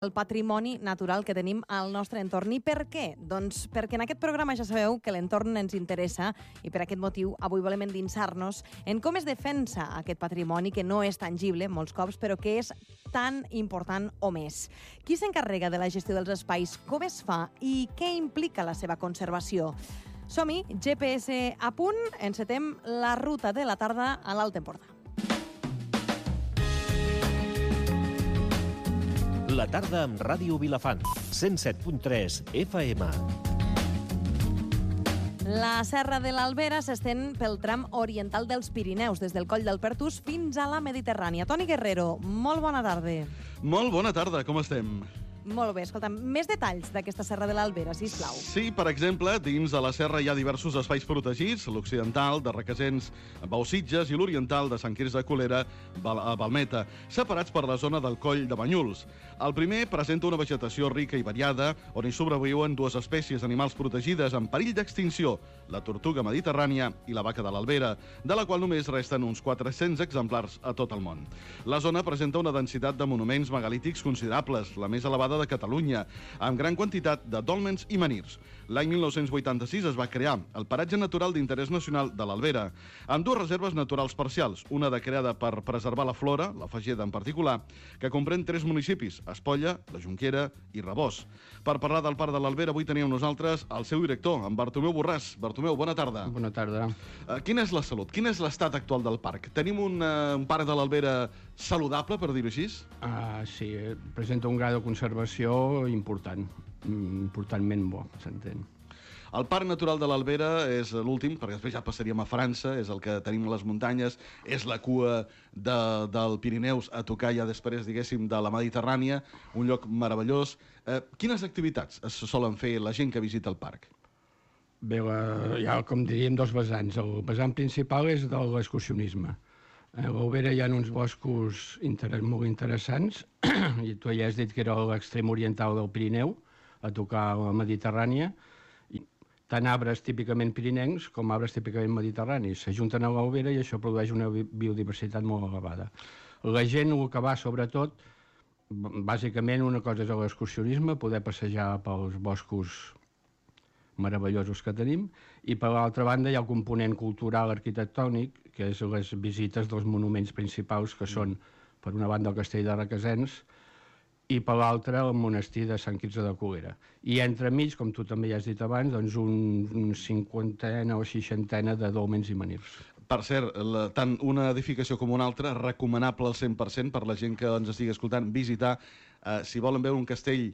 el patrimoni natural que tenim al nostre entorn. I per què? Doncs perquè en aquest programa ja sabeu que l'entorn ens interessa i per aquest motiu avui volem endinsar-nos en com es defensa aquest patrimoni que no és tangible molts cops, però que és tan important o més. Qui s'encarrega de la gestió dels espais, com es fa i què implica la seva conservació? Som-hi, GPS a punt, encetem la ruta de la tarda a l'Alt Empordà. La tarda amb Ràdio Vilafant, 107.3 FM. La Serra de l'Albera s'estén pel tram oriental dels Pirineus, des del Coll del Pertús fins a la Mediterrània. Toni Guerrero, molt bona tarda. Molt bona tarda, com estem? Molt bé, escolta'm, més detalls d'aquesta Serra de l'Albera, sisplau. Sí, per exemple, dins de la serra hi ha diversos espais protegits, l'occidental, de Requesens, Baussitges, i l'oriental, de Sant Quirze de Colera, a Balmeta, separats per la zona del Coll de Banyuls. El primer presenta una vegetació rica i variada, on hi sobreviuen dues espècies animals protegides en perill d'extinció, la tortuga mediterrània i la vaca de l'Albera, de la qual només resten uns 400 exemplars a tot el món. La zona presenta una densitat de monuments megalítics considerables, la més elevada de Catalunya, amb gran quantitat de dòlmens i menirs. L'any 1986 es va crear el Paratge Natural d'Interès Nacional de l'Albera, amb dues reserves naturals parcials, una creada per preservar la flora, la Fageda en particular, que comprèn 3 municipis, Espolla, la Jonquera i Rebós. Per parlar del Parc de l'Albera, avui tenim nosaltres el seu director, en Bartomeu Borràs. Bartomeu, bona tarda. Bona tarda. Quina és la salut? Quin és l'estat actual del parc? Tenim un parc de l'Albera saludable, per dir-ho així? Sí, presenta un grau de conservació important, importantment bo, s'entén. El Parc Natural de l'Albera és l'últim, perquè després ja passaríem a França, és el que tenim a les muntanyes, és la cua del Pirineus a tocar ja després, diguéssim, de la Mediterrània, un lloc meravellós. Quines activitats es solen fer la gent que visita el parc? Bé, hi ha, com diríem, dos vessants. El vessant principal és de l'excursionisme. A l'Albera hi ha uns boscos molt interessants, i tu ja has dit que era l'extrem oriental del Pirineu, a tocar la Mediterrània, tant arbres típicament pirinencs com arbres típicament mediterranis s'ajunten a l'Albera i això produeix una biodiversitat molt elevada. La gent, el que va sobretot, bàsicament una cosa és l'excursionisme, poder passejar pels boscos meravellosos que tenim, i per l'altra banda hi ha el component cultural arquitectònic, que és les visites dels monuments principals, que són, per una banda, el castell de Requesens, i per l'altra el monestir de Sant Quirze de Colera. I entremig, com tu també ja has dit abans, doncs un 50 o 60 de dòlmens i menirs. Per cert, tant una edificació com una altra, recomanable al 100% per la gent que ens estigui escoltant, visitar, si volen veure un castell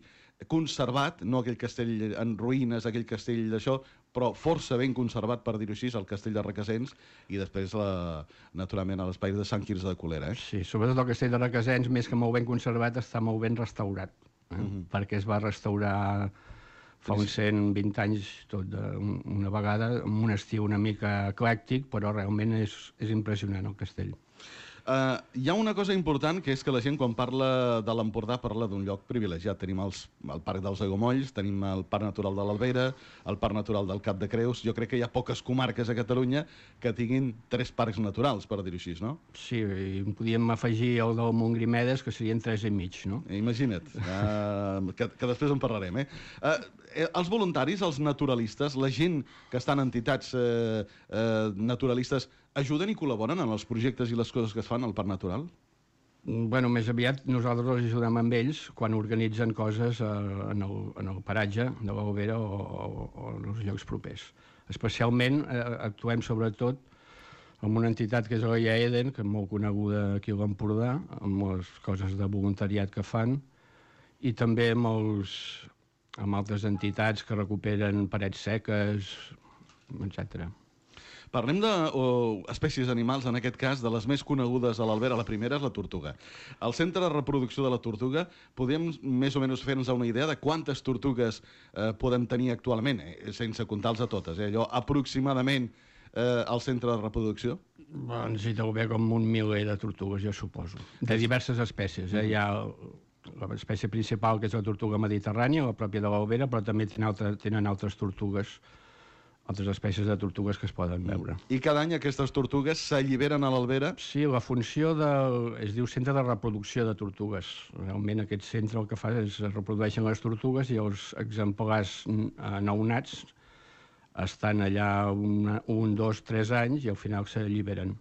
conservat, no aquell castell en ruïnes, aquell castell d'això, però força ben conservat, per dir-ho així, el castell de Requesens, i després, naturalment, a l'espai de Sant Quirze de Colera. Sí, sobretot el castell de Requesens, més que molt ben conservat, està molt ben restaurat, perquè es va restaurar fa uns 120 anys tot una vegada, amb un estil una mica eclèctic, però realment és impressionant el castell. Hi ha una cosa important, que és que la gent, quan parla de l'Empordà, parla d'un lloc privilegiat. Tenim el Parc dels Aiguamolls, tenim el Parc Natural de l'Albera, el Parc Natural del Cap de Creus. Jo crec que hi ha poques comarques a Catalunya que tinguin 3 parcs naturals, per dir-ho així, no? Sí, i podíem afegir el del Montgrimedes, que serien 3 i mig, no? Imagina't, que després en parlarem, els voluntaris, els naturalistes, la gent que està en entitats naturalistes, ajuden i col·laboren en els projectes i les coses que es fan al Parc Natural? Bueno, més aviat nosaltres els ajudem amb ells quan organitzen coses en el paratge de l'Albera o en els llocs propers. Especialment actuem sobretot amb una entitat que és la IA Eden, que és molt coneguda aquí a l'Empordà, amb les coses de voluntariat que fan, i també amb altres entitats que recuperen parets seques, etc. Parlem d'espècies animals, en aquest cas, de les més conegudes a l'Albera. La primera és la tortuga. Al centre de reproducció de la tortuga, podem més o menys fer-nos una idea de quantes tortugues podem tenir actualment, sense comptar-les a totes, allò aproximadament al centre de reproducció? Doncs hi deu haver com un miler de tortugues, jo suposo, de diverses espècies. Hi ha l'espècie principal, que és la tortuga mediterrània, la pròpia de l'Albera, però també tenen altres tortugues altres espècies de tortugues que es poden veure. I cada any aquestes tortugues s'alliberen a l'Albera? Sí, la funció es diu Centre de Reproducció de Tortugues. Realment aquest centre el que fa és es reprodueixen les tortugues i els exemplars nounats estan allà 1, 2, 3 anys i al final s'alliberen.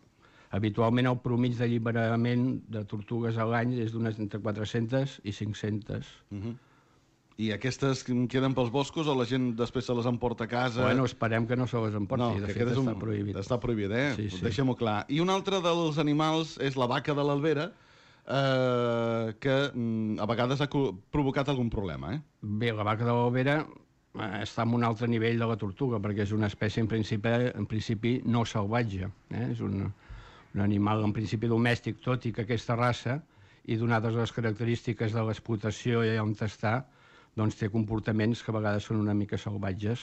Habitualment el promig d'alliberament de tortugues a l'any és d'unes entre 400 i 500. I aquestes queden pels boscos o la gent després se les emporta a casa? Bueno, esperem que no se les emporti. No, de fet, està prohibit. Està prohibit, eh? Sí, sí. Deixem-ho clar. I un altre dels animals és la vaca de l'Albera, que a vegades ha provocat algun problema, eh? Bé, la vaca de l'Albera està en un altre nivell de la tortuga, perquè és una espècie en principi no salvatge. És un animal en principi domèstic, tot i que aquesta raça, i donades les característiques de l'explotació i on està, doncs té comportaments que a vegades són una mica salvatges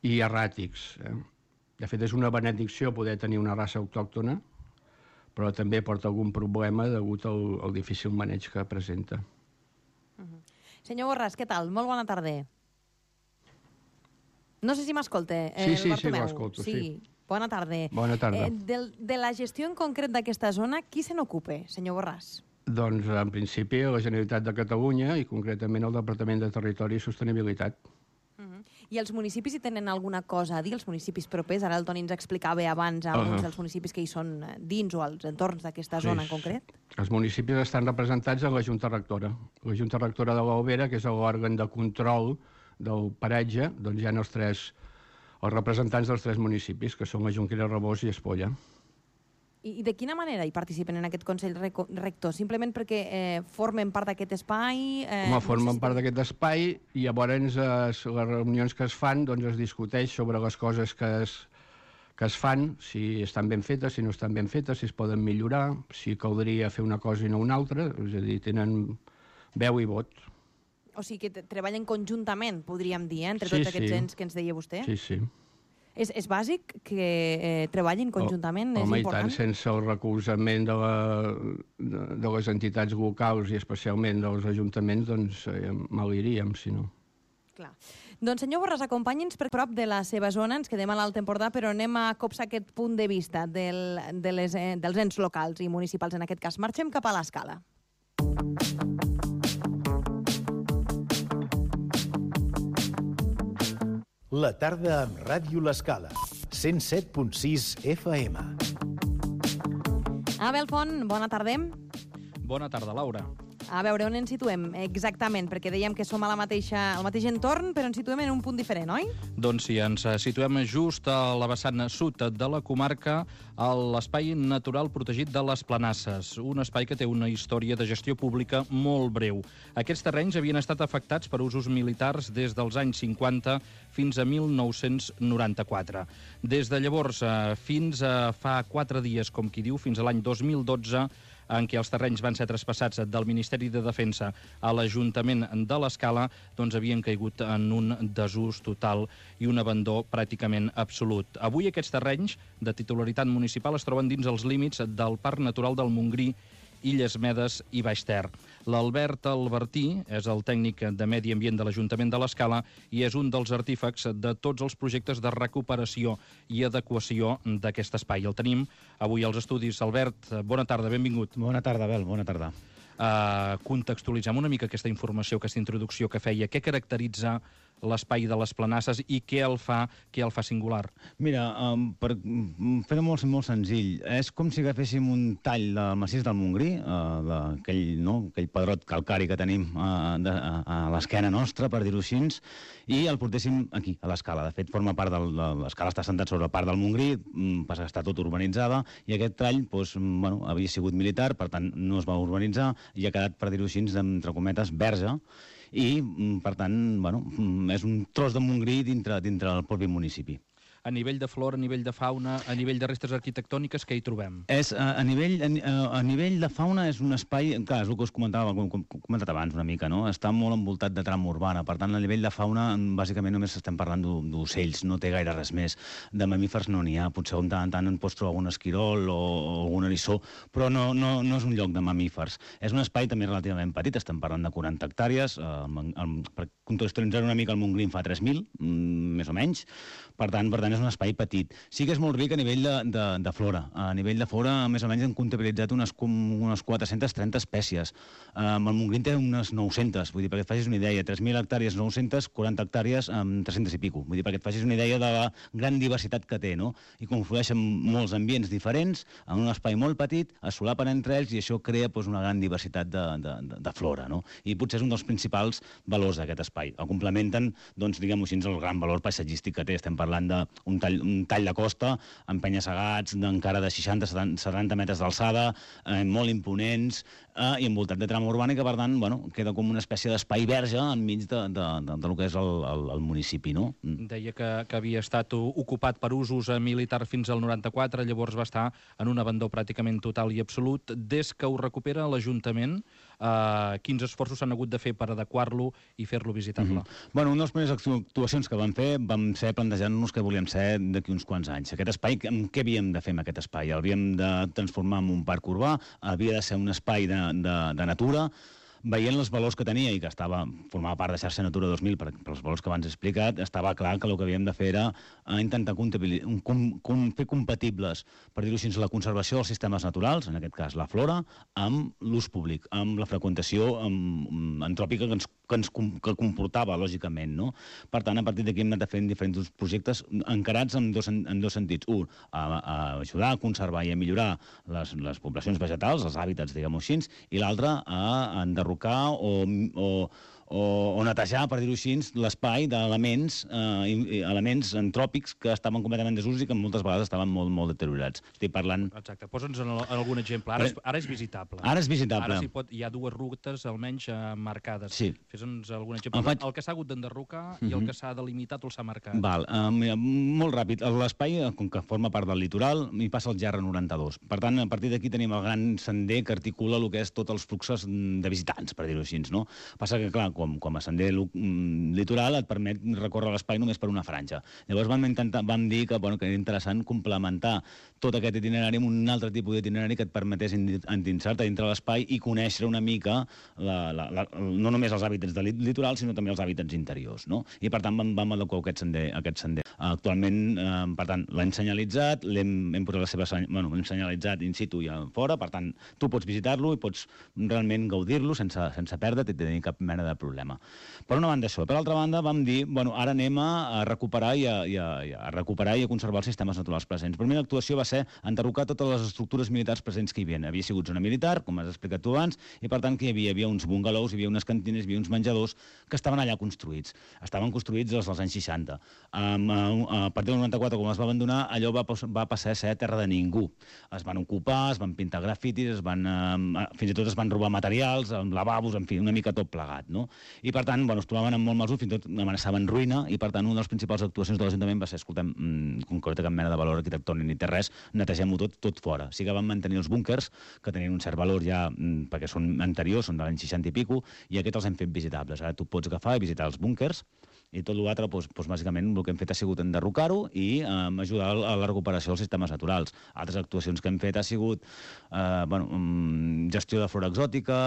i erràtics. De fet, és una benedicció poder tenir una raça autòctona, però també porta algun problema degut al difícil maneig que presenta. Senyor Borràs, què tal? Molt bona tarda. No sé si m'escolta, Sí, Bartomeu. l'escolto, sí. Bona tarda. Bona tarda. De la gestió en concret d'aquesta zona, qui se n'ocupa, senyor Borràs? Doncs, en principi, la Generalitat de Catalunya i concretament el Departament de Territori i Sostenibilitat. I els municipis hi tenen alguna cosa a dir, els municipis propers? Ara el Toni ens explicava abans alguns dels municipis que hi són dins o als entorns d'aquesta zona en concret. Els municipis estan representats en la Junta Rectora. La Junta Rectora de l'Albera, que és l'òrgan de control del paratge, doncs hi ha els representants dels 3 municipis, que són la Jonquera, Rabós i Espolla. I de quina manera hi participen en aquest Consell Rector? Simplement perquè formen part d'aquest espai? Formen part d'aquest espai i llavors les reunions que es fan doncs es discuteix sobre les coses que es fan, si estan ben fetes, si no estan ben fetes, si es poden millorar, si caldria fer una cosa i no una altra, és a dir, tenen veu i vot. O sigui que treballen conjuntament, podríem dir, entre tots aquests ens que ens deia vostè? Sí, sí. És bàsic que treballin conjuntament? Home, és important? i tant, sense el recolzament de les entitats locals i especialment dels ajuntaments, doncs mal iríem, si no. Clar. Doncs, senyor Borràs, acompanyi'ns per prop de la seva zona, ens quedem a l'Alt Empordà, però anem a copsar aquest punt de vista dels ens locals i municipals, en aquest cas. Marxem cap a l'Escala. La tarda amb Ràdio L'Escala, 107.6 FM. Abel Font, bona tarda. Bona tarda, Laura. A veure, on ens situem exactament? Perquè dèiem que som al mateix entorn, però ens situem en un punt diferent, oi? Doncs sí, ens situem just a la vessant sud de la comarca, a l'Espai Natural Protegit de les Planasses, un espai que té una història de gestió pública molt breu. Aquests terrenys havien estat afectats per usos militars des dels anys 50 fins a 1994. Des de llavors fins a fa 4 dies, com qui diu, fins a l'any 2012, en què els terrenys van ser traspassats del Ministeri de Defensa a l'Ajuntament de l'Escala, doncs havien caigut en un desús total i un abandó pràcticament absolut. Avui aquests terrenys de titularitat municipal es troben dins els límits del Parc Natural del Montgrí, Illes Medes i Baix Ter. L'Albert Albertí és el tècnic de Medi Ambient de l'Ajuntament de l'Escala i és un dels artífecs de tots els projectes de recuperació i adequació d'aquest espai. El tenim avui als estudis. Albert, bona tarda, benvingut. Bona tarda, Abel, bona tarda. Contextualitzem una mica aquesta informació, aquesta introducció que feia. Què caracteritza l'espai de les Planasses i què el fa singular? Mira, per fer-ho molt senzill, és com si agaféssim un tall del massís del Montgrí, aquell pedrot calcari que tenim a l'esquena nostra, per dir-ho així, i el portéssim aquí, a l'Escala. De fet, forma part l'Escala està assentat sobre part del Montgrí, passa que està tot urbanitzada, i aquest tall havia sigut militar, per tant no es va urbanitzar, i ha quedat, per dir-ho així, entre cometes, verge, i, per tant, és un tros de Montgrí dintre del propi municipi. a nivell de flora, a nivell de fauna, a nivell de restes arquitectòniques, què hi trobem? A nivell de fauna és un espai, clar, és el que us comentava, com he comentat abans una mica, no? Està molt envoltat de trama urbana, per tant, a nivell de fauna, bàsicament només estem parlant d'ocells, no té gaire res més. De mamífers no n'hi ha, potser de tant en tant en pots trobar algun esquirol o algun eriçó, però no és un lloc de mamífers. És un espai també relativament petit, estem parlant de 40 hectàrees, per contextualitzar una mica el Montgrí en fa 3.000, més o menys, per tant és un espai petit. Sí que és molt ric a nivell de flora. A nivell de flora, més o menys, hem comptabilitzat unes 430 espècies. El Montgrí té unes 900, vull dir, perquè et facis una idea, 3.000 hectàrees, 900, 40 hectàrees, 300 i pico. Vull dir, perquè et facis una idea de la gran diversitat que té, no? I conflueixen molts ambients diferents, en un espai molt petit, es solapen entre ells i això crea una gran diversitat de flora, no? I potser és un dels principals valors d'aquest espai. El complementen, doncs, diguem-ho així, el gran valor paisatgístic que té. Estem parlant d'un tall de costa, amb penya-segats encara de 60-70 metres d'alçada, molt imponents, i envoltat de trama urbana, i que, per tant, queda com una espècie d'espai verge enmig del que és el municipi, no? Deia que havia estat ocupat per usos militars fins al 94, llavors va estar en un abandó pràcticament total i absolut. Des que ho recupera l'Ajuntament, quins esforços s'han hagut de fer per adequar-lo i fer-lo visitable? Una de les primeres actuacions que vam fer vam ser plantejant-nos què volíem ser d'aquí uns quants anys. Aquest espai, què havíem de fer amb aquest espai? L'havíem de transformar en un parc urbà, havia de ser un espai de natura. Veient els valors que tenia i que formava part de xarxa Natura 2000, pels valors que abans he explicat, estava clar que el que havíem de fer era intentar fer compatibles, per dir-ho així, la conservació dels sistemes naturals, en aquest cas la flora, amb l'ús públic, amb la freqüentació antròpica que comportava, lògicament, no? Per tant, a partir d'aquí hem anat fent diferents projectes encarats en dos sentits. Un, a ajudar a conservar i a millorar les poblacions vegetals, els hàbitats, diguem-ho així, i l'altre, a enderrocar o netejar, per dir-ho així, l'espai d'elements antròpics que estaven completament desusos i que moltes vegades estaven molt deteriorats. Estic parlant... Exacte. Posa'ns algun exemple. Ara és visitable. Ara és visitable. Ara hi ha dues rutes, almenys, marcades. Sí. Fes-nos algun exemple. El que s'ha hagut d'enderrocar i el que s'ha delimitat o s'ha marcat. Val. Molt ràpid. L'espai, com que forma part del litoral, hi passa el GR92. Per tant, a partir d'aquí tenim el gran sender que articula el que és tots els fluxos de visitants, per dir-ho així, no? Passa que, clar, com a sender litoral et permet recórrer l'espai només per una franja. Llavors vam dir que era interessant complementar tot aquest itinerari amb un altre tipus d'itinerari que et permetés endinsar-te dintre l'espai i conèixer una mica no només els hàbitats del litoral, sinó també els hàbitats interiors, no? I per tant vam adequar aquest sender. Actualment, per tant, l'hem senyalitzat, l'hem senyalitzat in situ i fora, per tant, tu pots visitar-lo i pots realment gaudir-lo sense perdre't i tenir cap mena de problema. Per una banda això. Per altra banda, vam dir, ara anem a recuperar i a conservar els sistemes naturals presents. La primera actuació va ser enderrocar totes les estructures militars presents que hi havia. Havia sigut zona militar, com has explicat tu abans, i per tant que hi havia uns bungalows, hi havia unes cantines, hi havia uns menjadors que estaven allà construïts. Estaven construïts des dels anys 60. A partir del 94, quan es va abandonar, allò va passar a ser terra de ningú. Es van ocupar, es van pintar grafitis, fins i tot es van robar materials, lavabos, en fi, una mica tot plegat, no? I per tant, es trobaven amb molt mal ús, fins i tot amenaçaven ruïna, i per tant una de les principals actuacions de l'Ajuntament va ser, escoltem, com que no té cap mena de valor arquitectònic ni té res, netegem-ho tot fora. Sí que vam mantenir els búnquers, que tenien un cert valor ja, perquè són anteriors, són de l'any 60 i pico, i aquests els hem fet visitables. Ara tu pots agafar i visitar els búnquers, i tot l'altre, bàsicament, el que hem fet ha sigut enderrocar-ho i ajudar a la recuperació dels sistemes naturals. Altres actuacions que hem fet ha sigut gestió de flora exòtica,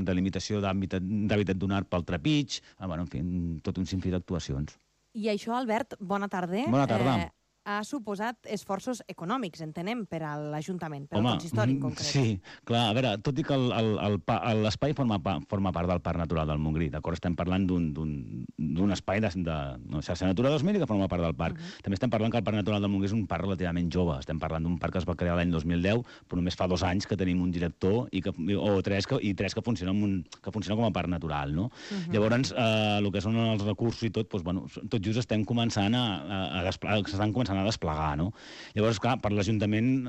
delimitació d'hàbitat donat pel trepig, en fi, tot un sinfí d'actuacions. I això, Albert, bona tarda. Bona tarda. Ha suposat esforços econòmics, entenem, per a l'Ajuntament, per al consistori en concret. Sí, clar, a veure, tot i que l'espai forma part del Parc Natural del Montgrí, d'acord? Estem parlant d'un espai de xarxa Natura 2000 que forma part del parc. També estem parlant que el Parc Natural del Montgrí és un parc relativament jove. Estem parlant d'un parc que es va crear l'any 2010, però només fa 2 anys que tenim un director i 3 que funciona com a parc natural, no? Llavors, el que són els recursos i tot, tot just estem començant s'estan començant a desplegar, no? Llavors, clar, per l'Ajuntament,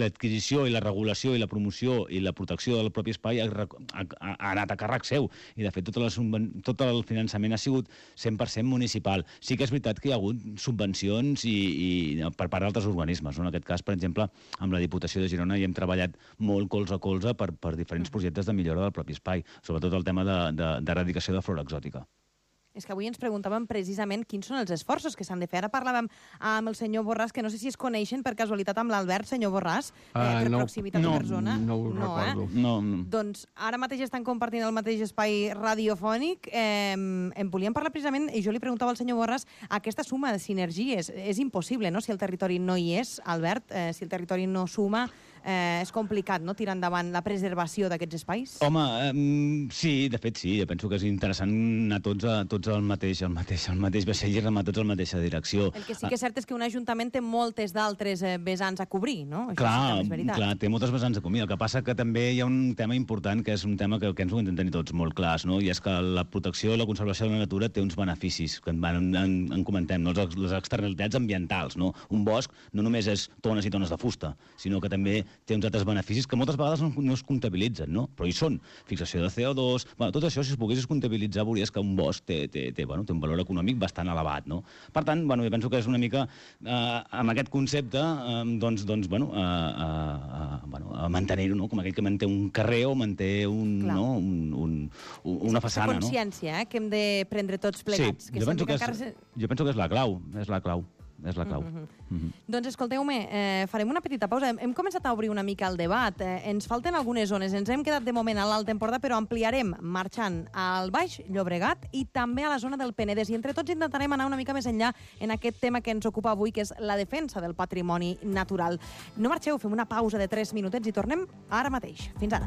l'adquisició i la regulació i la promoció i la protecció del propi espai ha anat a càrrec seu, i de fet tot el finançament ha sigut 100% municipal. Sí que és veritat que hi ha hagut subvencions i per part d'altres organismes, no? En aquest cas, per exemple, amb la Diputació de Girona hi hem treballat molt colze a colze per diferents projectes de millora del propi espai, sobretot el tema d'eradicació de flora exòtica. És que avui ens preguntàvem precisament quins són els esforços que s'han de fer. Ara parlàvem amb el senyor Borràs, que no sé si es coneixen per casualitat amb l'Albert, senyor Borràs, per proximitat o per zona. No ho recordo. No. Doncs ara mateix estan compartint el mateix espai radiofònic. En volíem parlar precisament, i jo li preguntava al senyor Borràs, aquesta suma de sinergies és impossible, no?, si el territori no hi és, Albert, si el territori no suma, és complicat, no?, tirar endavant la preservació d'aquests espais? Home, sí, de fet sí. Jo penso que és interessant anar tots al mateix vaixell i remar tots a la mateixa direcció. El que sí que és cert és que un ajuntament té moltes d'altres vessants a cobrir, no? Això clar, sí que és veritat. Clar, té moltes vessants a cobrir. El que passa que també hi ha un tema important, que és un tema que ens ho hem de tenir tots molt clars, no? I és que la protecció i la conservació de la natura té uns beneficis, que en comentem, no? Les externalitats ambientals, no? Un bosc no només és tones i tones de fusta, sinó que també té uns altres beneficis que moltes vegades no es comptabilitzen, no? Però hi són. Fixació de CO2... Bueno, tot això, si es poguessis comptabilitzar, veuries que un bosc té un valor econòmic bastant elevat, no? Per tant, jo penso que és una mica, amb aquest concepte, mantenir-ho, no? Com aquell que manté un carrer o manté una façana, no? Consciència, que hem de prendre tots plegats. Sí, jo penso que és la clau, és la clau. Doncs escolteu-me, farem una petita pausa. Hem començat a obrir una mica el debat. Ens falten algunes zones. Ens hem quedat de moment a l'Alt Empordà, però ampliarem marxant al Baix Llobregat i també a la zona del Penedès. I entre tots intentarem anar una mica més enllà en aquest tema que ens ocupa avui, que és la defensa del patrimoni natural. No marxeu, fem una pausa de 3 minutets i tornem ara mateix. Fins ara.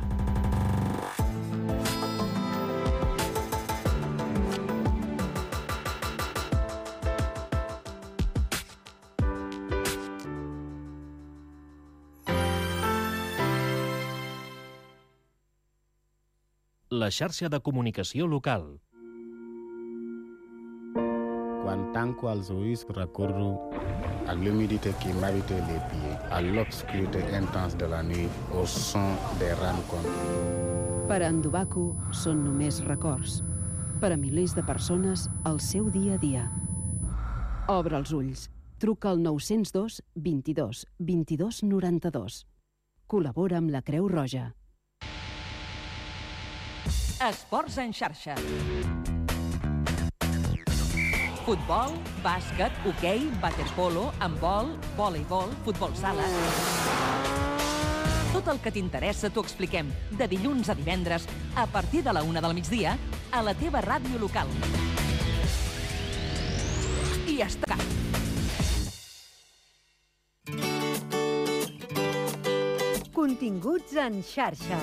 La xarxa de comunicació local. Quan tanco els ulls recorro à l'humidité qui m'habite les pieds, à l'obscurité intense de la nuit, au son des rams continus. Per a en Dubaku són només records. Per a milers de persones, el seu dia a dia. Obre els ulls. Truca al 902 22 22 92. Col·labora amb la Creu Roja. Esports en xarxa. Futbol, bàsquet, hoquei, waterpolo, handbol, voleibol, futbol sala... Tot el que t'interessa t'ho expliquem de dilluns a divendres a partir de la 1 del migdia a la teva ràdio local. I està. Continguts en xarxa.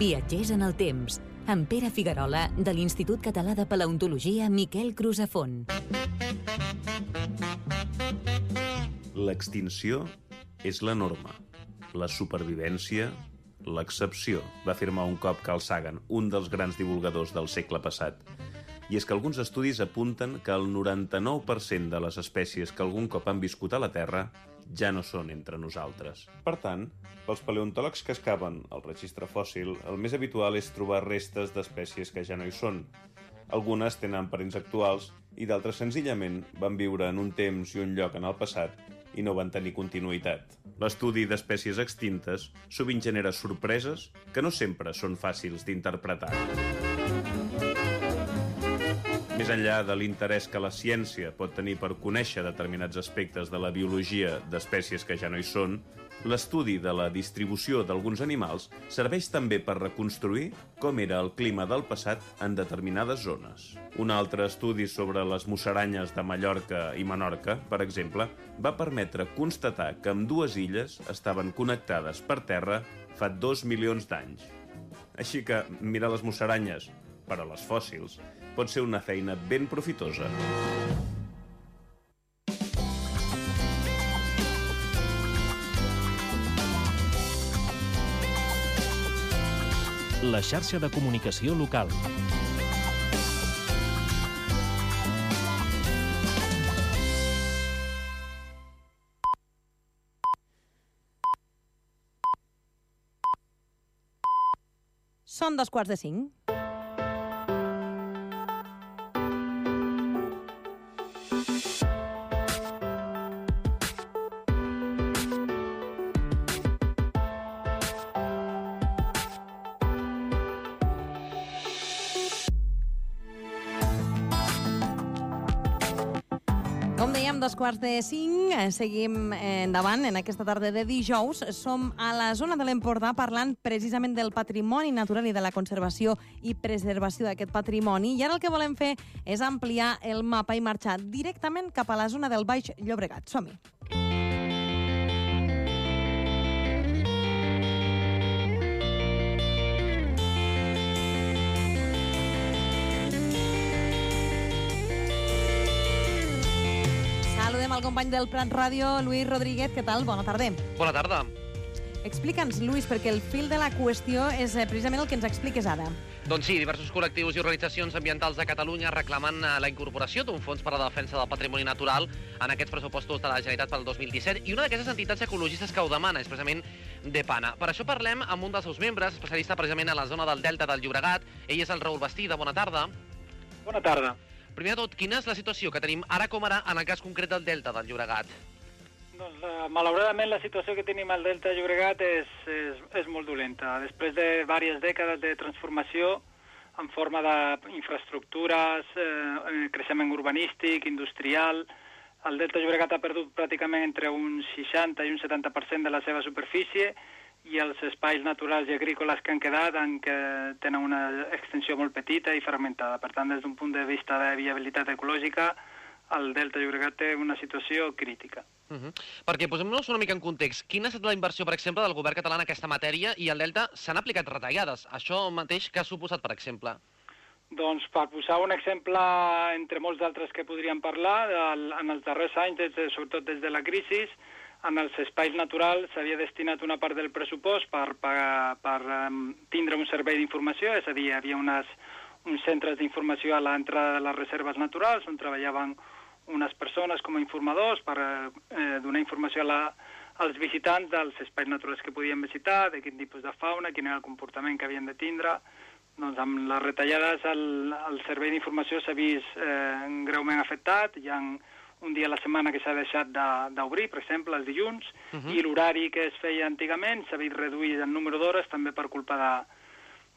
Viatgers en el temps, amb Pere Figuerola, de l'Institut Català de Paleontologia Miquel Crusafont. L'extinció és la norma, la supervivència, l'excepció, va afirmar un cop Carl Sagan, un dels grans divulgadors del segle passat. I és que alguns estudis apunten que el 99% de les espècies que algun cop han viscut a la Terra ja no són entre nosaltres. Per tant, pels paleontòlegs que excaven el registre fòssil, el més habitual és trobar restes d'espècies que ja no hi són. Algunes tenen parents actuals i d'altres senzillament van viure en un temps i un lloc en el passat i no van tenir continuïtat. L'estudi d'espècies extintes sovint genera sorpreses que no sempre són fàcils d'interpretar. Més enllà de l'interès que la ciència pot tenir per conèixer determinats aspectes de la biologia d'espècies que ja no hi són, l'estudi de la distribució d'alguns animals serveix també per reconstruir com era el clima del passat en determinades zones. Un altre estudi sobre les musaranyes de Mallorca i Menorca, per exemple, va permetre constatar que ambdues illes estaven connectades per terra fa 2 milions d'anys. Així que mirar les musaranyes, per a les fòssils, pot ser una feina ben profitosa. La xarxa de comunicació local. Són 4:45. Com dèiem, 4:45, seguim endavant en aquesta tarda de dijous. Som a la zona de l'Empordà parlant precisament del patrimoni natural i de la conservació i preservació d'aquest patrimoni. I ara el que volem fer és ampliar el mapa i marxar directament cap a la zona del Baix Llobregat. Som-hi. Saludem al company del Prat Ràdio, Lluís Rodríguez. Què tal? Bona tarda. Bona tarda. Explica'ns, Lluís, perquè el fil de la qüestió és precisament el que ens expliques ara. Doncs sí, diversos col·lectius i organitzacions ambientals de Catalunya reclamen la incorporació d'un fons per a la defensa del patrimoni natural en aquests pressupostos de la Generalitat pel 2017, i una d'aquestes entitats ecologistes que ho demana és precisament DEPANA. Per això parlem amb un dels seus membres, especialista precisament a la zona del Delta del Llobregat. Ell és el Raül Bastida. Bona tarda. Bona tarda. Primer de tot, quina és la situació que tenim ara com ara en el cas concret del Delta del Llobregat? Doncs, malauradament, la situació que tenim al Delta de Llobregat és molt dolenta. Després de diverses dècades de transformació en forma d'infraestructures, creixement urbanístic, industrial, el Delta de Llobregat ha perdut pràcticament entre un 60 i un 70% de la seva superfície, i els espais naturals i agrícoles que han quedat tenen una extensió molt petita i fragmentada. Per tant, des d'un punt de vista de viabilitat ecològica, el Delta de Llobregat té una situació crítica. Perquè posem-nos una mica en context. Quina ha estat la inversió, per exemple, del govern català en aquesta matèria, i al Delta s'han aplicat retallades? Això mateix que ha suposat, per exemple? Doncs per posar un exemple entre molts d'altres que podríem parlar, en els darrers anys, sobretot des de la crisi, en els espais naturals s'havia destinat una part del pressupost per tindre un servei d'informació, és a dir, hi havia uns centres d'informació a l'entrada de les reserves naturals on treballaven unes persones com a informadors per donar informació als visitants dels espais naturals que podien visitar, de quin tipus de fauna, quin era el comportament que havien de tindre. Doncs amb les retallades el servei d'informació s'ha vist greument afectat. Hi ha un dia a la setmana que s'ha deixat d'obrir, per exemple, els dilluns, i l'horari que es feia antigament s'ha vist reduït el número d'hores també per culpa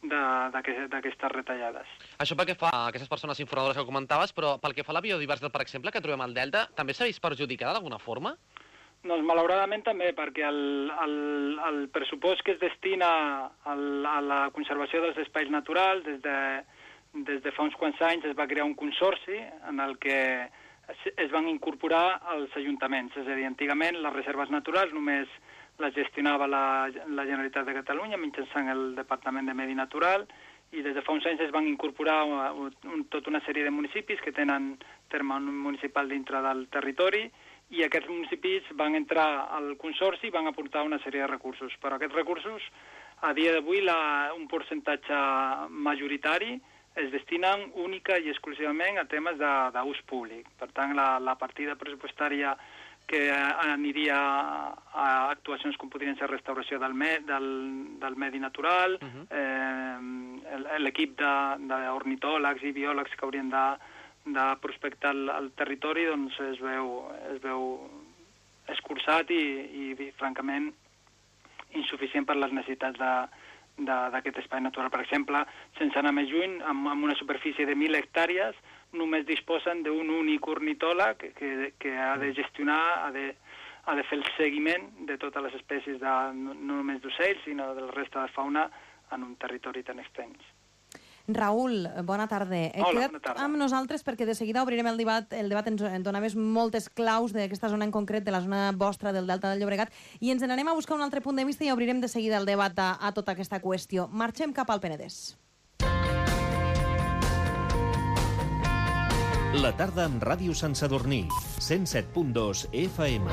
d'aquestes retallades. Això pel que fa a aquestes persones informadores que comentaves, però pel que fa a la biodiversitat, per exemple, que trobem al Delta, també s'ha vist perjudicada d'alguna forma? Doncs malauradament també, perquè el pressupost que es destina a la conservació dels espais naturals, des de fa uns quants anys es va crear un consorci en el que es van incorporar els ajuntaments. És a dir, antigament les reserves naturals només les gestionava la Generalitat de Catalunya mitjançant el Departament de Medi Natural, i des de fa uns anys es van incorporar tota una sèrie de municipis que tenen terme municipal dintre del territori, i aquests municipis van entrar al consorci i van aportar una sèrie de recursos. Però aquests recursos, a dia d'avui, un percentatge majoritari es destinen única i exclusivament a temes d'ús públic. Per tant, la partida pressupostària que aniria a actuacions com podrien ser restauració del medi natural, l'equip d'ornitòlegs i biòlegs que haurien de prospectar el territori, doncs es veu escurçat i francament insuficient per les necessitats d'aquest espai natural. Per exemple, sense anar més lluny, amb una superfície de 1.000 hectàrees, només disposen d'un únic ornitòleg que ha de gestionar, ha de fer el seguiment de totes les espècies, no només d'ocells, sinó de la resta de fauna en un territori tan extens. Raül, bona tarda. Hola, bona tarda. Amb nosaltres perquè de seguida obrirem el debat. El debat ens donaves moltes claus d'aquesta zona en concret, de la zona vostra del Delta del Llobregat, i ens n'anem a buscar un altre punt de vista i obrirem de seguida el debat a tota aquesta qüestió. Marxem cap al Penedès. La tarda amb Ràdio Sant Sadurní, 107.2 FM.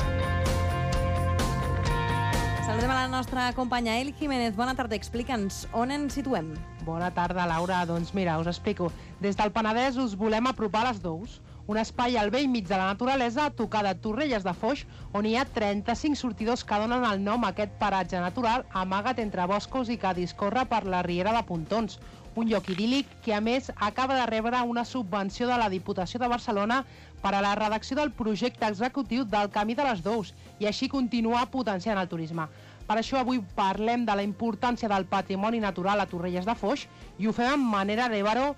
Saludem a la nostra companya Eli Jiménez. Bona tarda, explica'ns on ens situem. Bona tarda, Laura. Doncs mira, us explico. Des del Penedès us volem apropar a les Dous, un espai al vell mig de la naturalesa a tocar de Torrelles de Foix, on hi ha 35 sortidors que donen el nom a aquest paratge natural amagat entre boscos i que discorre per la riera de Pontons. Un lloc idíl·lic que, a més, acaba de rebre una subvenció de la Diputació de Barcelona per a la redacció del projecte executiu del Camí de les Dous i així continuar potenciant el turisme. Per això avui parlem de la importància del patrimoni natural a Torrelles de Foix i ho fem amb Manel Arévaro,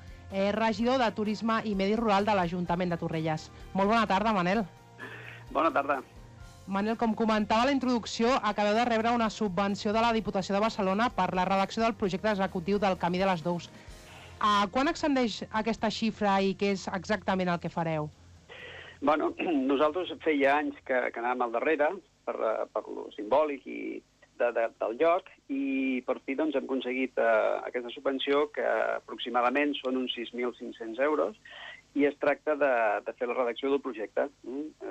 regidor de Turisme i Medi Rural de l'Ajuntament de Torrelles. Molt bona tarda, Manel. Bona tarda. Manel, com comentava a la introducció, acabeu de rebre una subvenció de la Diputació de Barcelona per la redacció del projecte executiu del Camí de les Dous. Quan ascendeix aquesta xifra i què és exactament el que fareu? Bueno, nosaltres feia anys que anàvem al darrere per lo simbòlic del lloc i per fi doncs, hem aconseguit aquesta subvenció que aproximadament són uns 6.500 euros i es tracta de fer la redacció del projecte.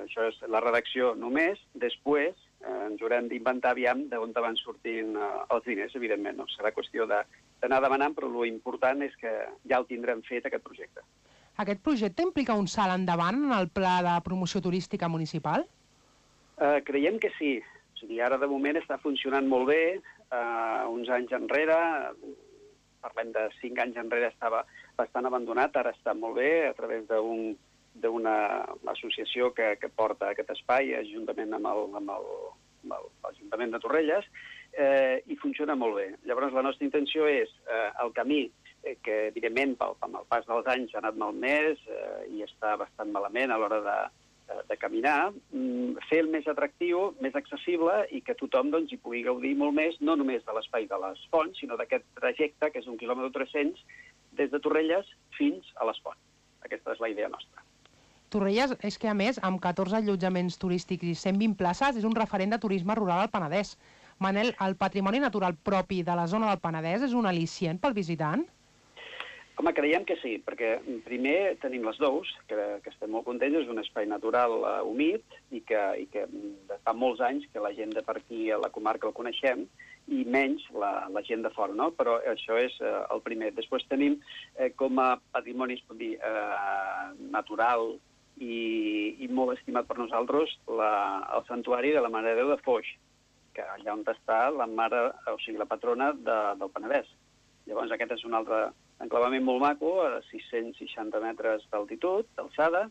Això és la redacció només, després ens haurem d'inventar aviam d'on van sortint els diners, evidentment. No? Serà qüestió d'anar demanant, però l'important és que ja el tindrem fet, aquest projecte. Aquest projecte implica un salt endavant en el pla de promoció turística municipal? Creiem que sí. O sigui, ara de moment està funcionant molt bé. Uns anys enrere, parlem de 5 anys enrere, estava bastant abandonat, ara està molt bé a través d'una associació que porta aquest espai, juntament amb l'Ajuntament de Torrelles, i funciona molt bé. Llavors, la nostra intenció és el camí, que evidentment amb el pas dels anys ha anat malmès i està bastant malament a l'hora de caminar, fer el més atractiu, més accessible i que tothom doncs, hi pugui gaudir molt més, no només de l'espai de les Fonts, sinó d'aquest trajecte, que és 1 quilòmetre 300, des de Torrelles fins a les Fonts. Aquesta és la idea nostra. Torrelles és que, a més, amb 14 allotjaments turístics i 120 places, és un referent de turisme rural al Penedès. Manel, el patrimoni natural propi de la zona del Penedès és un al·licient pel visitant? Home, creiem que sí, perquè primer tenim les Dous, que estem molt contents, és un espai natural humit i que fa molts anys que la gent de per aquí a la comarca el coneixem i menys la gent de fora, no? Però això és el primer. Després tenim com a patrimoni, es pot dir, natural i molt estimat per nosaltres el santuari de la Mare de Déu de Foix, que allà on està la mare, o sigui, la patrona del Penedès. Llavors aquest és un altre enclavament molt maco, a 660 metres d'altitud, d'alçada,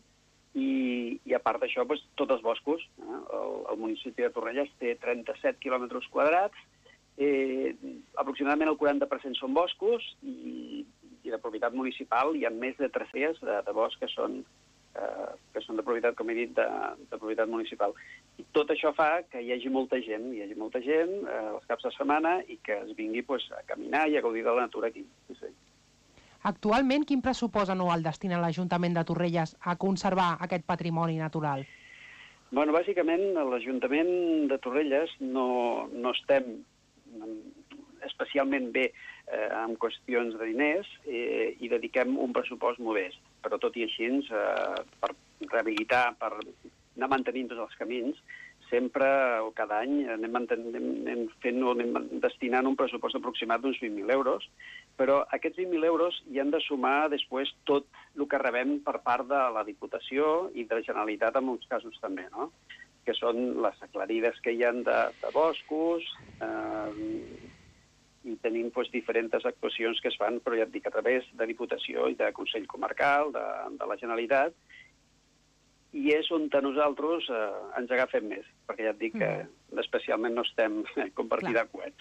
i a part d'això, doncs, tots els boscos. El municipi de Torrelles té 37 quilòmetres quadrats, aproximadament el 40% són boscos, i de propietat municipal hi ha més de 300 de boscs que són de propietat, com he dit, de propietat municipal. I tot això fa que hi hagi molta gent els caps de setmana i que es vingui a caminar i a gaudir de la natura aquí. Sí. Actualment, quin pressupost anual destina l'Ajuntament de Torrelles a conservar aquest patrimoni natural? Bueno, bàsicament, l'Ajuntament de Torrelles no estem especialment bé en qüestions de diners i dediquem un pressupost modest. Però tot i així, per rehabilitar, per anar mantenint tots els camins, sempre o cada any anem destinant un pressupost aproximat d'uns 20.000 euros, però aquests 20.000 euros hi han de sumar després tot el que rebem per part de la Diputació i de la Generalitat en molts casos també, no? Que són les aclarides que hi ha de boscos, i tenim diferents actuacions que es fan, però ja et dic, a través de Diputació i de Consell Comarcal, de la Generalitat, i és on nosaltres ens agafem més, perquè ja et dic que especialment no estem com per tirar coets.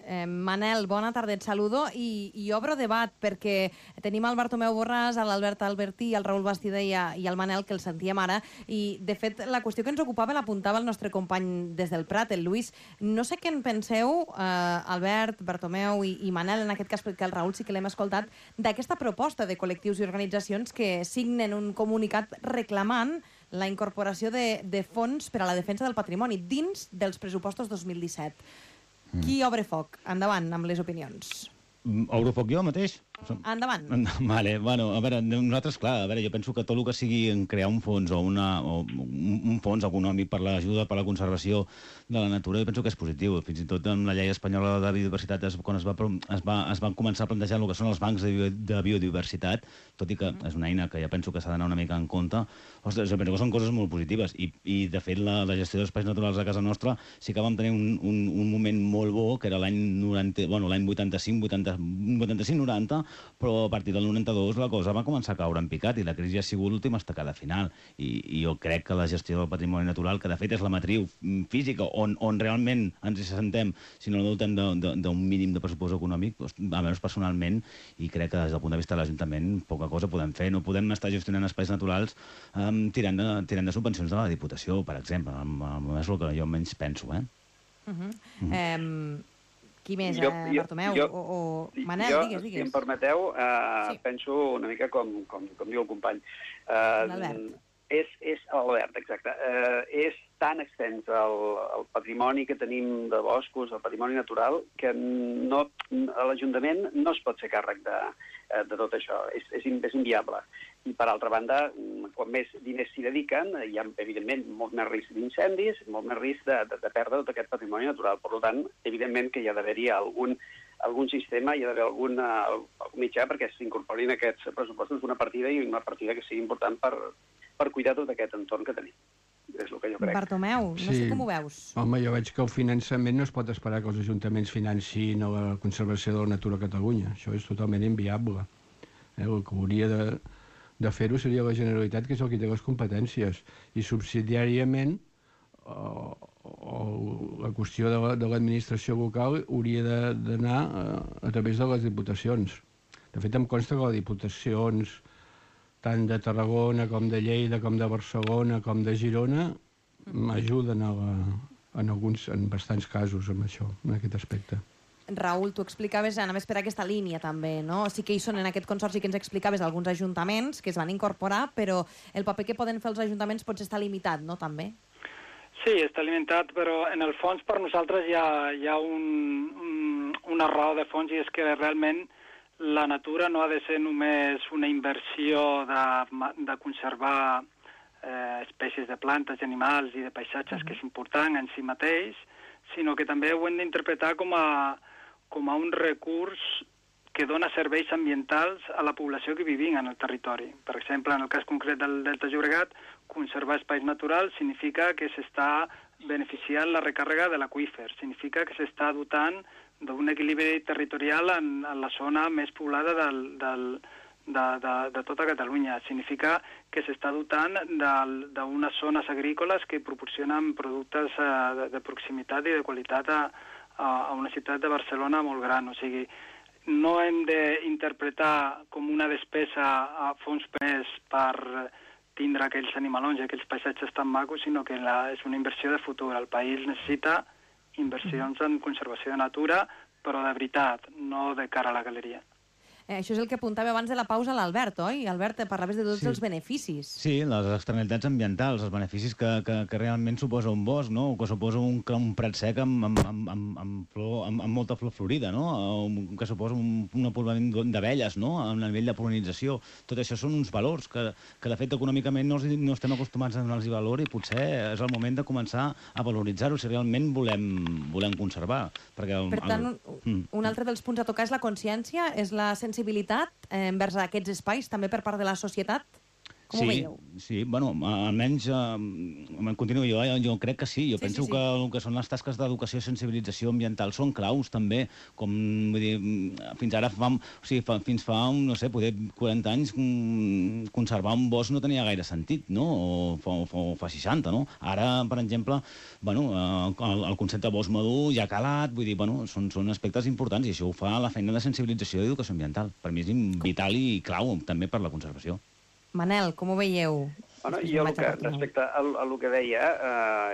Manel, bona tarda, et saludo i obro debat perquè tenim el Bartomeu Borràs, l'Albert Albertí, el Raül Bastida i el Manel, que el sentíem ara, i de fet la qüestió que ens ocupava l'apuntava el nostre company des del Prat, el Lluís. No sé què en penseu, Albert, Bartomeu i Manel, en aquest cas perquè el Raül sí que l'hem escoltat, d'aquesta proposta de col·lectius i organitzacions que signen un comunicat reclamant la incorporació de fons per a la defensa del patrimoni dins dels pressupostos 2017. Qui obre foc? Endavant amb les opinions. Obro foc jo mateix? Endavant. Vale, bueno, a veure, nosaltres, clar, jo penso que tot el que sigui crear un fons o un fons econòmic per l'ajuda, per la conservació de la natura, jo penso que és positiu. Fins i tot amb la llei espanyola de biodiversitat, quan es va començar a plantejar el que són els bancs de biodiversitat, tot i que és una eina que ja penso que s'ha d'anar una mica en compte, ostres, jo penso que són coses molt positives. I de fet, la gestió d'espais naturals a casa nostra sí que vam tenir un moment molt bo, que era l'any 85-90, però a partir del 92 la cosa va començar a caure en picat i la crisi ha sigut l'última estacada final. I jo crec que la gestió del patrimoni natural, que de fet és la matriu física on realment ens hi sentem, si no dotem d'un mínim de pressupost econòmic, almenys personalment, i crec que des del punt de vista de l'Ajuntament poca cosa podem fer. No podem estar gestionant espais naturals tirant de subvencions de la Diputació, per exemple. És el que jo menys penso, Qui més? Bartomeu o Manel, digues. Si em permeteu, penso una mica com diu el company. L'Albert. És l'Albert, exacte. És tan extens el patrimoni que tenim de boscos, el patrimoni natural, que l'Ajuntament no es pot fer càrrec de tot això. És inviable. I, per altra banda, quan més diners s'hi dediquen, hi ha, evidentment, molt més risc d'incendis, molt més risc de perdre tot aquest patrimoni natural. Per tant, evidentment que hi ha d'haver-hi algun sistema, hi ha d'haver algun mitjà perquè s'incorporin aquests pressupostos una partida i una partida que sigui important per cuidar tot aquest entorn que tenim. És el que jo crec. Bartomeu, no sé com ho veus. Home, jo veig que el finançament no es pot esperar que els ajuntaments financin la conservació de la natura a Catalunya. Això és totalment inviable. El que hauria de fer-ho seria la Generalitat, que és el que té les competències, i subsidiàriament la qüestió de l'administració local hauria d'anar a través de les diputacions. De fet, em consta que les diputacions tant de Tarragona com de Lleida, com de Barcelona, com de Girona, ajuden en bastants casos amb això, en aquest aspecte. Raül, tu explicaves, anaves per aquesta línia també, no? Sí que hi són en aquest consorci que ens explicaves alguns ajuntaments que es van incorporar, però el paper que poden fer els ajuntaments potser està limitat, no, també? Sí, està limitat, però en el fons per nosaltres hi ha una raó de fons, i és que realment la natura no ha de ser només una inversió de conservar espècies de plantes, animals i de paisatges, que és important en si mateix, sinó que també ho hem d'interpretar com a un recurs que dona serveis ambientals a la població que vivim en el territori. Per exemple, en el cas concret del Delta Llobregat, conservar espais naturals significa que s'està beneficiant la recàrrega de l'aqüífer, significa que s'està dotant d'un equilibri territorial en la zona més poblada de tota Catalunya. Significa que s'està dotant d'unes zones agrícoles que proporcionen productes de proximitat i de qualitat a una ciutat de Barcelona molt gran. O sigui, no hem d'interpretar com una despesa a fons PES per tindre aquells animalons i aquells paisatges tan macos, sinó que és una inversió de futur. El país necessita inversions en conservació de natura, però de veritat, no de cara a la galeria. Això és el que apuntava abans de la pausa l'Albert, oi? Albert, parlaves de tots els beneficis. Sí, les externalitats ambientals, els beneficis que realment suposa un bosc, no? O que suposa un prat sec amb molta flor florida, no? Que suposa un poblament d'abelles, no? A nivell de polinització. Tot això són uns valors que de fet, econòmicament no estem acostumats a donar-los valor, i potser és el moment de començar a valoritzar-ho si realment volem conservar. Per tant, un altre dels punts a tocar és la consciència, és la sensibilitat envers aquests espais, també per part de la societat? Com ho veieu? Sí, bueno, almenys continuo jo crec que sí. Jo penso que el que són les tasques d'educació i sensibilització ambiental són claus també, com vull dir, fins ara fins fa no sé, poder 40 anys conservar un bosc no tenia gaire sentit, no? O fa 60, no? Ara, per exemple, bueno, el concepte bosc madur ja ha calat, vull dir, bueno, són aspectes importants, i això ho fa la feina de sensibilització i educació ambiental. Per mi és vital i clau també per la conservació. Manel, com ho veieu? Bueno, jo, respecte al que deia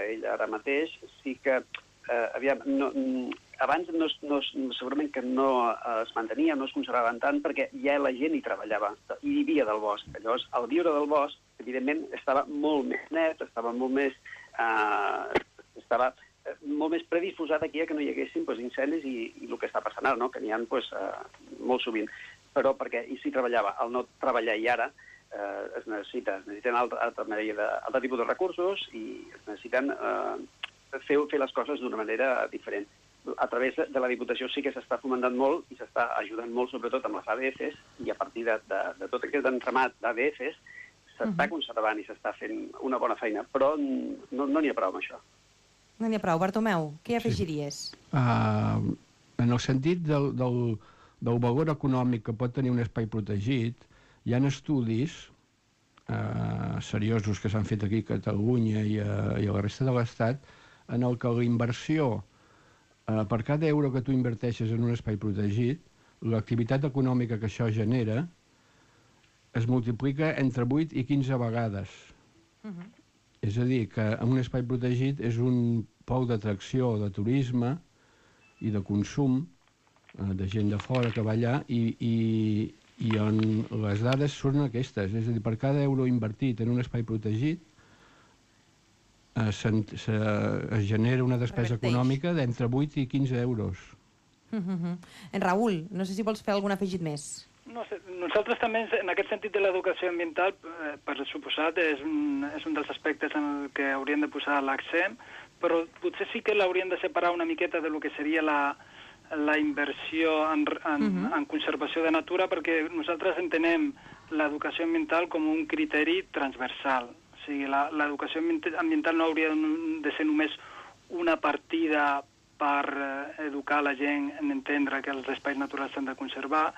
ell ara mateix, sí que abans segurament que no es mantenia, no es conservaven tant, perquè ja la gent hi treballava, hi vivia del bosc. Llavors, al viure del bosc, evidentment, estava molt més net, estava molt més predisposat aquí a que no hi haguessin incendis i el que està passant ara, que n'hi ha molt sovint. però perquè i s'hi treballava. Al no treballar i ara es necessiten altre tipus de recursos i es necessiten fer les coses d'una manera diferent. A través de la Diputació sí que s'està fomentant molt i s'està ajudant molt, sobretot amb les ADFs, i a partir de tot aquest entramat d'ADFs s'està conservant i s'està fent una bona feina, però no n'hi ha prou amb això. No n'hi ha prou. Bartomeu, què afegiries? En el sentit del valor econòmic que pot tenir un espai protegit, hi ha estudis seriosos que s'han fet aquí a Catalunya i a la resta de l'Estat en el que la inversió per cada euro que tu inverteixes en un espai protegit, l'activitat econòmica que això genera es multiplica entre 8 i 15 vegades. És a dir, que un espai protegit és un pol d'atracció de turisme i de consum de gent de fora que va allà i on les dades són aquestes. És a dir, per cada euro invertit en un espai protegit es genera una despesa econòmica d'entre 8 i 15 euros. En Raül, no sé si vols fer algun afegit més. No sé, nosaltres també, en aquest sentit de l'educació ambiental, per suposat, és un dels aspectes en el que hauríem de posar l'accent, però potser sí que l'hauríem de separar una miqueta de lo que seria la inversió en conservació de natura, perquè nosaltres entenem l'educació ambiental com un criteri transversal. O sigui, l'educació ambiental no hauria de ser només una partida per educar la gent en entendre que els espais naturals s'han de conservar,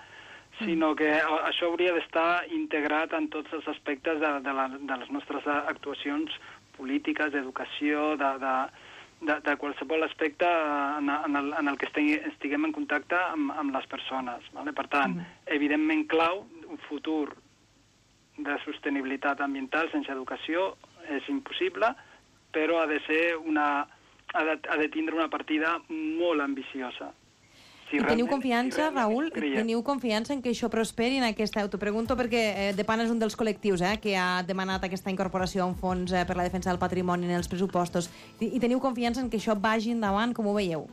sinó que això hauria d'estar integrat en tots els aspectes de les nostres actuacions polítiques, d'educació, de qualsevol aspecte en el que estiguem en contacte amb les persones. Per tant, evidentment clau, un futur de sostenibilitat ambiental sense educació és impossible, però ha de tindre una partida molt ambiciosa. I teniu confiança, Raül, teniu confiança en que això prosperi en aquesta... T'ho pregunto perquè DEPAN és un dels col·lectius que ha demanat aquesta incorporació a un fons per la defensa del patrimoni en els pressupostos. I teniu confiança en que això vagi endavant, com ho veieu?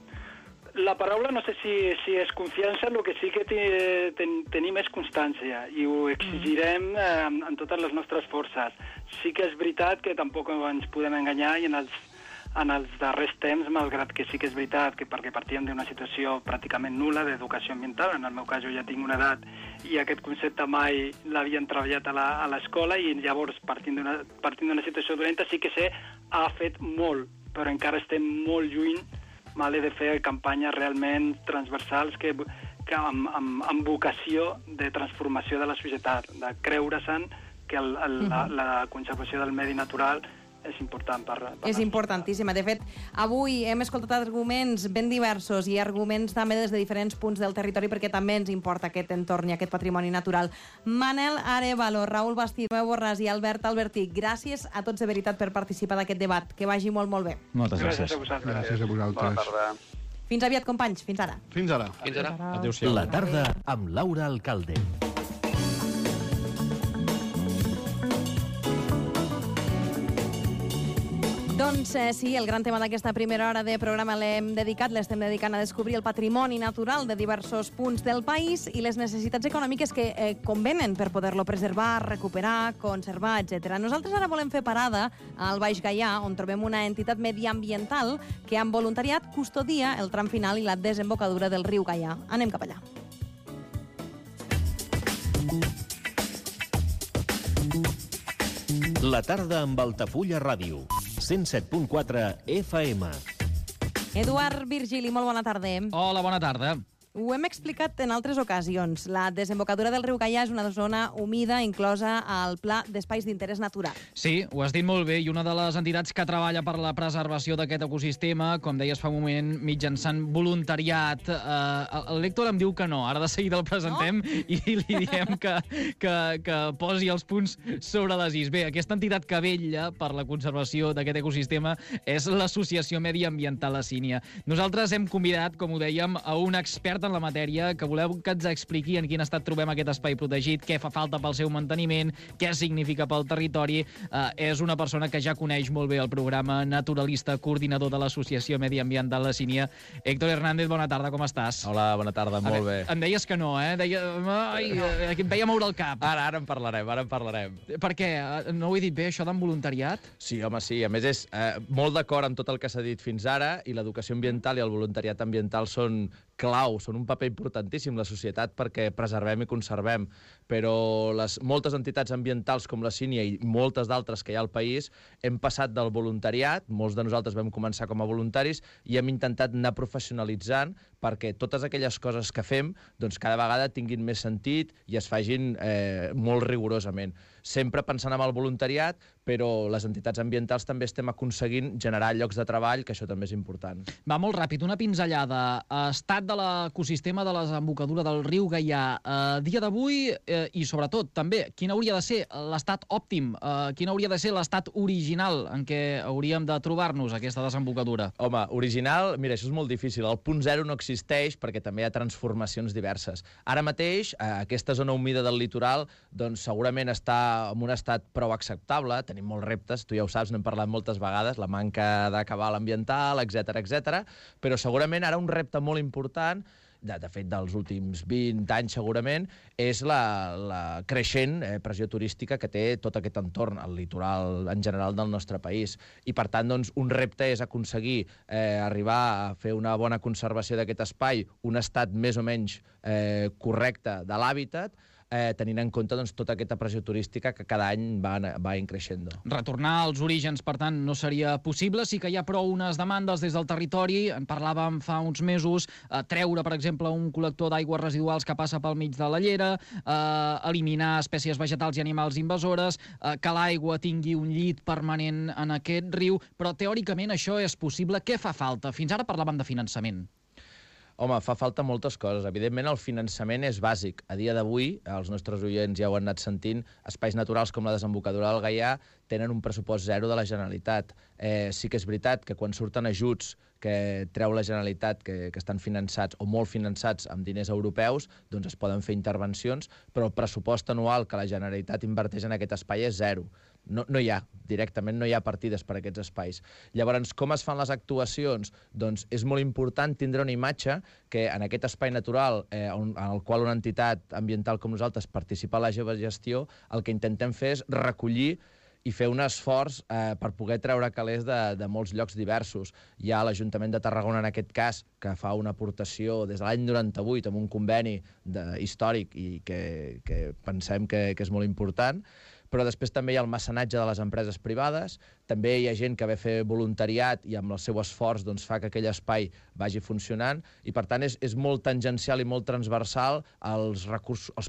La paraula no sé si és confiança, el que sí que tenim és constància i ho exigirem en totes les nostres forces. Sí que és veritat que tampoc ens podem enganyar i en els darrers temps, malgrat que sí que és veritat que perquè partíem d'una situació pràcticament nul·la d'educació ambiental, en el meu cas jo ja tinc una edat i aquest concepte mai l'havien treballat a l'escola i llavors partint d'una situació dolenta sí que ha fet molt, però encara estem molt lluny de fer campanyes realment transversals amb vocació de transformació de la societat, de creure-se'n que la conservació del medi natural és important És importantíssima. De fet, avui hem escoltat arguments ben diversos i arguments també des de diferents punts del territori perquè també ens importa aquest entorn i aquest patrimoni natural. Manel Arévalo, Raül Bastí, Tomeu Borràs i Albert Albertí, gràcies a tots de veritat per participar d'aquest debat. Que vagi molt, molt bé. Moltes gràcies. Gràcies a vosaltres. Bona tarda. Fins aviat, companys. Fins ara. Fins ara. Adéu-siau. La tarda amb Laura Alcalde. Doncs sí, el gran tema d'aquesta primera hora de programa l'estem dedicant a descobrir el patrimoni natural de diversos punts del país i les necessitats econòmiques que convenen per poder-lo preservar, recuperar, conservar, etc. Nosaltres ara volem fer parada al Baix Gaià, on trobem una entitat mediambiental que amb voluntariat custodia el tram final i la desembocadura del riu Gaià. Anem cap allà. La tarda amb Altafulla Ràdio. 107.4 FM. Eduard Virgili, molt bona tarda. Hola, bona tarda. Ho hem explicat en altres ocasions. La desembocadura del riu Gaià és una zona humida inclosa al Pla d'Espais d'Interès Natural. Sí, ho has dit molt bé, i una de les entitats que treballa per la preservació d'aquest ecosistema, com deies fa un moment, mitjançant voluntariat. L'Héctor em diu que no, ara de seguida el presentem i li diem que posi els punts sobre les is. Bé, aquesta entitat que vetlla per la conservació d'aquest ecosistema és l'Associació Mediambiental La Sínia. Nosaltres hem convidat, com ho dèiem, a un expert expert en la matèria, que voleu que ens expliqui en quin estat trobem aquest espai protegit, què fa falta pel seu manteniment, què significa pel territori. És una persona que ja coneix molt bé el programa, naturalista, coordinador de l'Associació Mediambiental La Sínia. Héctor Hernández, bona tarda, com estàs? Hola, bona tarda, molt bé. Em deies que no, eh? Em veia moure el cap. Ara en parlarem. Per què? No ho he dit bé, això d'en voluntariat? Sí, home, sí. A més, és molt d'acord amb tot el que s'ha dit fins ara, i l'educació ambiental i el voluntariat ambiental són clau, són un paper importantíssim la societat perquè preservem i conservem, però moltes entitats ambientals com la Sínia i moltes d'altres que hi ha al país hem passat del voluntariat, molts de nosaltres vam començar com a voluntaris i hem intentat anar professionalitzant perquè totes aquelles coses que fem doncs cada vegada tinguin més sentit i es fagin molt rigorosament. Sempre pensant en el voluntariat, però les entitats ambientals també estem aconseguint generar llocs de treball, que això també és important. Va molt ràpid, una pinzellada. Estat de l'ecosistema de la desembocadura del riu Gaià. A dia d'avui, i sobretot també, quin hauria de ser l'estat òptim? Quin hauria de ser l'estat original en què hauríem de trobar-nos aquesta desembocadura? Home, original, mira, això és molt difícil. El punt zero no existeix perquè també hi ha transformacions diverses. Ara mateix, aquesta zona humida del litoral doncs segurament està en un estat prou acceptable, tenim molts reptes, tu ja ho saps, n'hem parlat moltes vegades, la manca de cabal ambiental, etc, però segurament ara un repte molt important, de fet dels últims 20 anys segurament, és la creixent pressió turística que té tot aquest entorn, el litoral en general del nostre país. I per tant, doncs, un repte és aconseguir arribar a fer una bona conservació d'aquest espai, un estat més o menys correcte de l'hàbitat, tenint en compte doncs, tota aquesta pressió turística que cada any va increixent. Retornar als orígens, per tant, no seria possible. Sí que hi ha prou unes demandes des del territori. En parlàvem fa uns mesos, treure, per exemple, un col·lector d'aigües residuals que passa pel mig de la llera, eliminar espècies vegetals i animals invasores, que l'aigua tingui un llit permanent en aquest riu, però teòricament això és possible. Què fa falta? Fins ara parlàvem de finançament. Home, fa falta moltes coses. Evidentment, el finançament és bàsic. A dia d'avui, els nostres oients ja ho han anat sentint, espais naturals com la desembocadura del Gaià tenen un pressupost zero de la Generalitat. Sí que és veritat que quan surten ajuts que treu la Generalitat, que estan finançats o molt finançats amb diners europeus, doncs es poden fer intervencions, però el pressupost anual que la Generalitat inverteix en aquest espai és zero. No hi ha, directament no hi ha partides per a aquests espais. Llavors, com es fan les actuacions? Doncs és molt important tindre una imatge que en aquest espai natural, en el qual una entitat ambiental com nosaltres participa a la seva gestió, el que intentem fer és recollir i fer un esforç per poder treure calés de molts llocs diversos. Hi ha l'Ajuntament de Tarragona, en aquest cas, que fa una aportació des de l'any 98 amb un conveni històric i que pensem que és molt important, però després també hi ha el mecenatge de les empreses privades, també hi ha gent que ve a fer voluntariat i amb el seu esforç doncs, fa que aquell espai vagi funcionant, i per tant és molt tangencial i molt transversal als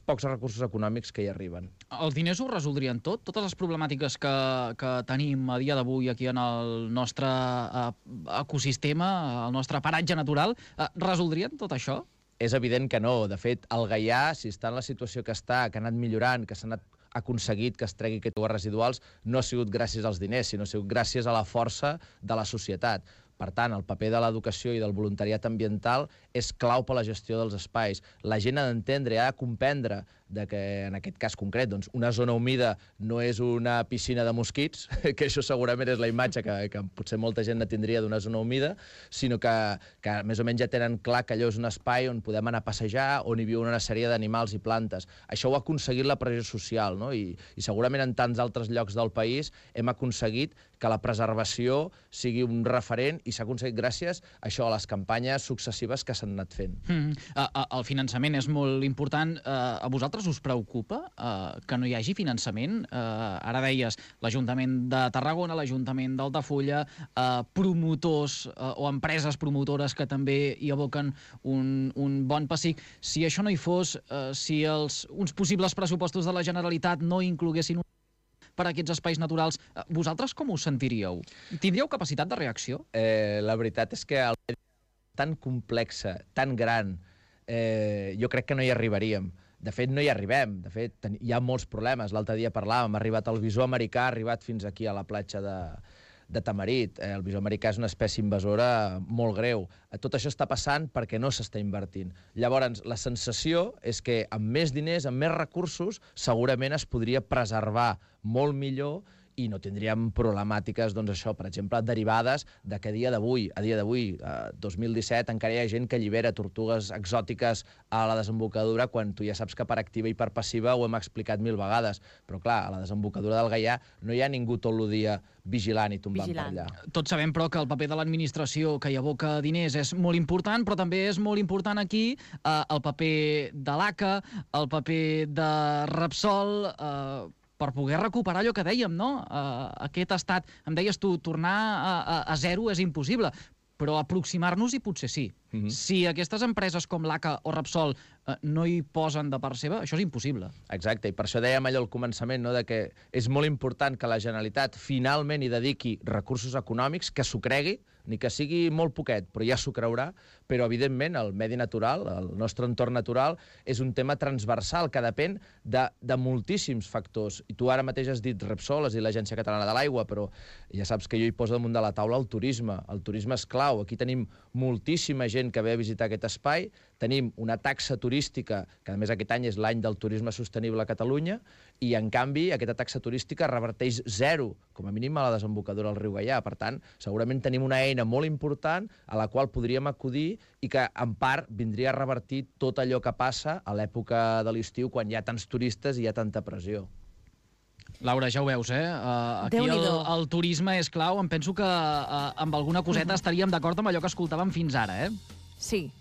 pocs recursos econòmics que hi arriben. Els diners ho resoldrien tot? Totes les problemàtiques que tenim a dia d'avui aquí en el nostre ecosistema, el nostre paratge natural, resoldrien tot això? És evident que no. De fet, el Gaià, si està en la situació que està, que ha anat millorant, que s'ha anat aconseguit que es tregui aquests aigües residuals, no ha sigut gràcies als diners, sinó ha sigut gràcies a la força de la societat. Per tant, el paper de l'educació i del voluntariat ambiental és clau per a la gestió dels espais. La gent ha d'entendre i ha de comprendre que, en aquest cas concret, doncs, una zona humida no és una piscina de mosquits, que això segurament és la imatge que potser molta gent no tindria d'una zona humida, sinó que més o menys ja tenen clar que allò és un espai on podem anar a passejar, on hi viuen una sèrie d'animals i plantes. Això ho ha aconseguit la pressió social, no? I segurament en tants altres llocs del país hem aconseguit que la preservació sigui un referent i s'ha aconseguit gràcies a això, a les campanyes successives que s'han anat fent. El finançament és molt important. A vosaltres us preocupa que no hi hagi finançament? Ara deies l'Ajuntament de Tarragona, l'Ajuntament d'Altafulla, promotors o empreses promotores que també hi aboquen un bon pessic. Si això no hi fos, si uns possibles pressupostos de la Generalitat no incloguessin per a aquests espais naturals, vosaltres com us sentiríeu? Tindríeu capacitat de reacció? La veritat és que el medi tan complexa, tan gran, jo crec que no hi arribaríem. De fet, no hi arribem. De fet, hi ha molts problemes. L'altre dia parlàvem, ha arribat el visó americà, ha arribat fins aquí a la platja de tamarit. El bisó americà és una espècie invasora molt greu. Tot això està passant perquè no s'està invertint. Llavors, la sensació és que amb més diners, amb més recursos, segurament es podria preservar molt millor i no tindríem problemàtiques, doncs això, per exemple, derivades de que a dia d'avui, 2017, encara hi ha gent que allibera tortugues exòtiques a la desembocadura quan tu ja saps que per activa i per passiva ho hem explicat 1000 vegades. Però, clar, a la desembocadura del Gaià no hi ha ningú tot el dia vigilant i tombant per allà. Tots sabem, però, que el paper de l'administració que hi aboca diners és molt important, però també és molt important aquí el paper de l'ACA, el paper de Repsol, per poder recuperar allò que dèiem, no? Aquest estat, em deies tu, tornar a zero és impossible, però aproximar-nos-hi potser sí. Si aquestes empreses com l'ACA o Repsol no hi posen de part seva, això és impossible. Exacte, i per això dèiem allò al començament, no?, de que és molt important que la Generalitat finalment hi dediqui recursos econòmics, que s'ho cregui, ni que sigui molt poquet, però ja s'ho creurà, però evidentment el medi natural, el nostre entorn natural, és un tema transversal que depèn de moltíssims factors. I tu ara mateix has dit Repsol, has dit l'Agència Catalana de l'Aigua, però ja saps que jo hi poso damunt de la taula el turisme. El turisme és clau. Aquí tenim moltíssima gent que ve a visitar aquest espai, tenim una taxa turística, que a més aquest any és l'any del turisme sostenible a Catalunya, i en canvi aquesta taxa turística reverteix zero, com a mínim a la desembocadura del riu Gaià. Per tant, segurament tenim una eina molt important a la qual podríem acudir i que, en part, vindria a revertir tot allò que passa a l'època de l'estiu, quan hi ha tants turistes i hi ha tanta pressió. Laura, ja ho veus, aquí el turisme és clau. Em penso que amb alguna coseta estaríem d'acord amb allò que escoltàvem fins ara, Sí.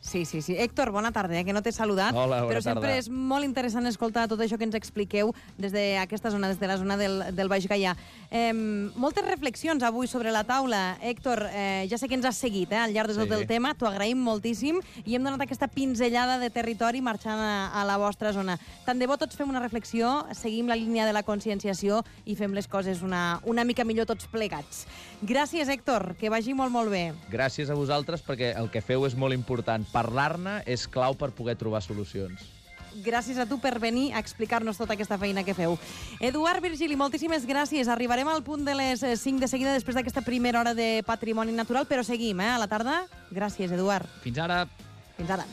Héctor, bona tarda, que no t'he saludat. Hola, bona però sempre tarda. és molt interessant escoltar tot això que ens expliqueu des d'aquesta zona, des de la zona del Baix Gaià. Moltes reflexions avui sobre la taula. Héctor, ja sé que ens has seguit al llarg de tot el tema, t'ho agraïm moltíssim i hem donat aquesta pinzellada de territori marxant a la vostra zona. Tant de bo tots fem una reflexió, seguim la línia de la conscienciació i fem les coses una mica millor tots plegats. Gràcies, Héctor, que vagi molt, molt bé. Gràcies a vosaltres, perquè el que feu és molt important. Parlar-ne és clau per poder trobar solucions. Gràcies a tu per venir a explicar-nos tota aquesta feina que feu. Eduard Virgili, moltíssimes gràcies. Arribarem al punt de les 5 de seguida després d'aquesta primera hora de Patrimoni Natural, però seguim, a la tarda. Gràcies, Eduard. Fins ara. Fins ara.